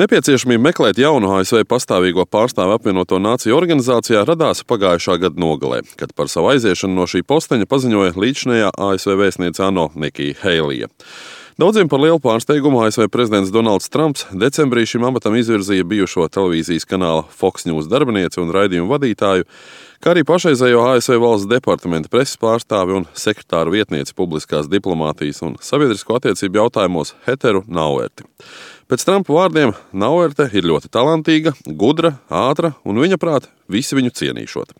Nepieciešamība meklēt jaunu ASV pastāvīgo pārstāvu apvienoto nāciju organizācijā radās pagājušā gada nogalē, kad par savu aiziešanu no šī posteņa paziņoja līdzinējā ASV vēstniece ANO Nikija Heilija. Daudziem par lielu pārsteigumu ASV prezidents Donalds Trumps decembrī šim amatam izvirzīja bijušo televīzijas kanāla Fox News darbinieci un raidījumu vadītāju, kā arī pašreizējo ASV valsts departamenta preses pārstāvi un sekretāru vietnieci publiskās diplomātijas un sabiedrisko attiecību jautājumos Heteru Nauerti. Pēc Trumpa vārdiem Nauerte ir ļoti talantīga, gudra, ātra un viņa prāt visi viņu cienīšot.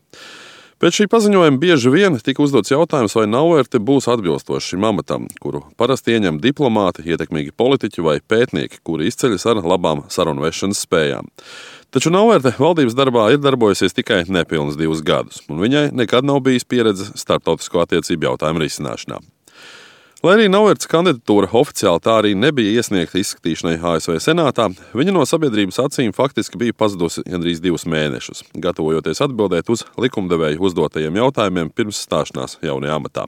Pēc šī paziņojuma bieži vien tika uzdots jautājums, vai Nauerte būs atbilstoši šim amatam, kuru parasti ieņem diplomāti, ietekmīgi politiķi vai pētnieki, kuri izceļas ar labām sarunvešanas spējām. Taču Nauerte valdības darbā ir darbojusies tikai nepilnus 2 gadus, un viņai nekad nav bijis pieredze starptautisko attiecību jautājumu risināšanā. Lai arī Nauertes kandidatūra oficiāli tā arī nebija iesniegta izskatīšanai ASV senātā, viņa no sabiedrības acīm faktiski bija pazudusi gandrīz 2 mēnešus, gatavojoties atbildēt uz likumdevēju uzdotajiem jautājumiem pirms stāšanās jaunajā amatā.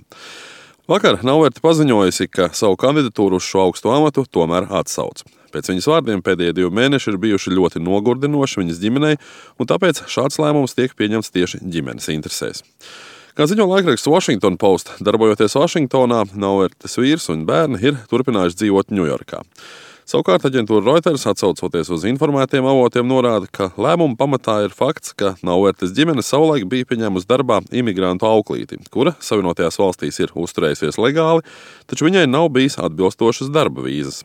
Vakar Nauerte paziņojusi, ka savu kandidatūru uz šo augsto amatu tomēr atsauc. Pēc viņas vārdiem pēdējie 2 mēneši ir bijuši ļoti nogurdinoši viņas ģimenei, un tāpēc šāds lēmums tiek pieņemts tieši ģimenes interesēs. Kā ziņo laikraksts Washington Post, darbojoties Vašingtonā, Nauertes vīrs un bērni ir turpinājuši dzīvot Ņujorkā. Savukārt aģentūra Reuters, atsaucoties uz informētiem avotiem, norāda, ka lēmuma pamatā ir fakts, ka Nauertes ģimene savulaik bija pieņēmusi darbā imigrantu auklīti, kura Savienotajās valstīs ir uzturējusies legāli, taču viņai nav bijis atbilstošas darba vīzas.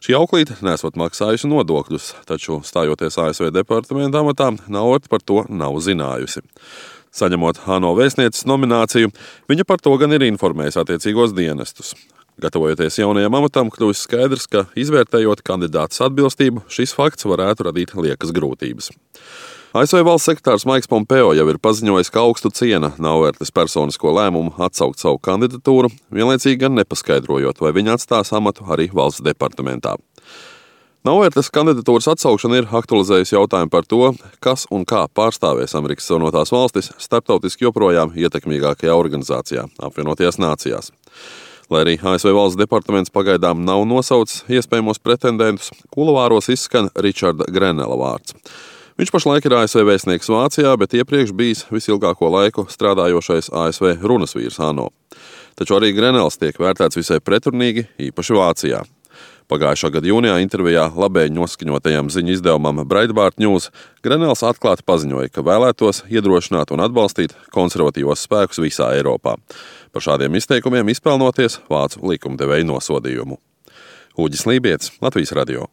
Šī auklīte nesot maksājusi nodokļus, taču stājoties ASV departamenta amatā, Nauerte par to nav zinājusi. Saņemot ANO vēstnieces nomināciju, viņa par to gan ir informējusi attiecīgos dienestus. Gatavojoties jaunajam amatam, kļūst skaidrs, ka izvērtējot kandidātas atbilstību, šis fakts varētu radīt liekas grūtības. ASV valsts sekretārs Maiks Pompeo jau ir paziņojis, ka augstu ciena Nauertes personisko lēmumu atsaukt savu kandidatūru, vienlaicīgi gan nepaskaidrojot, vai viņa atstās amatu arī valsts departamentā. Nauertes kandidatūras atsaukšana ir aktualizējusi jautājumu par to, kas un kā pārstāvēs Amerikas Savienotās valstis starptautiski joprojām ietekmīgākajā organizācijā, apvienotajās nācijās. Lai arī ASV valsts departaments pagaidām nav nosaucis iespējamos pretendentus, kuluāros izskan Richarda Grenela vārds. Viņš pašlaik ir ASV vēstnieks Vācijā, bet iepriekš bijis visilgāko laiku strādājošais ASV runasvīrs ANO. Taču arī Grenels tiek vērtēts visai pretrunīgi, īpaši Vācijā. Pagājušā gada jūnijā intervijā labēji noskaņotajam ziņu izdevumam Breitbart News Grenels atklāti paziņoja, ka vēlētos iedrošināt un atbalstīt konservatīvos spēkus visā Eiropā. Par šādiem izteikumiem izpelnoties vācu likumdevēju nosodījumu. Uģis Lībietis, Latvijas radio.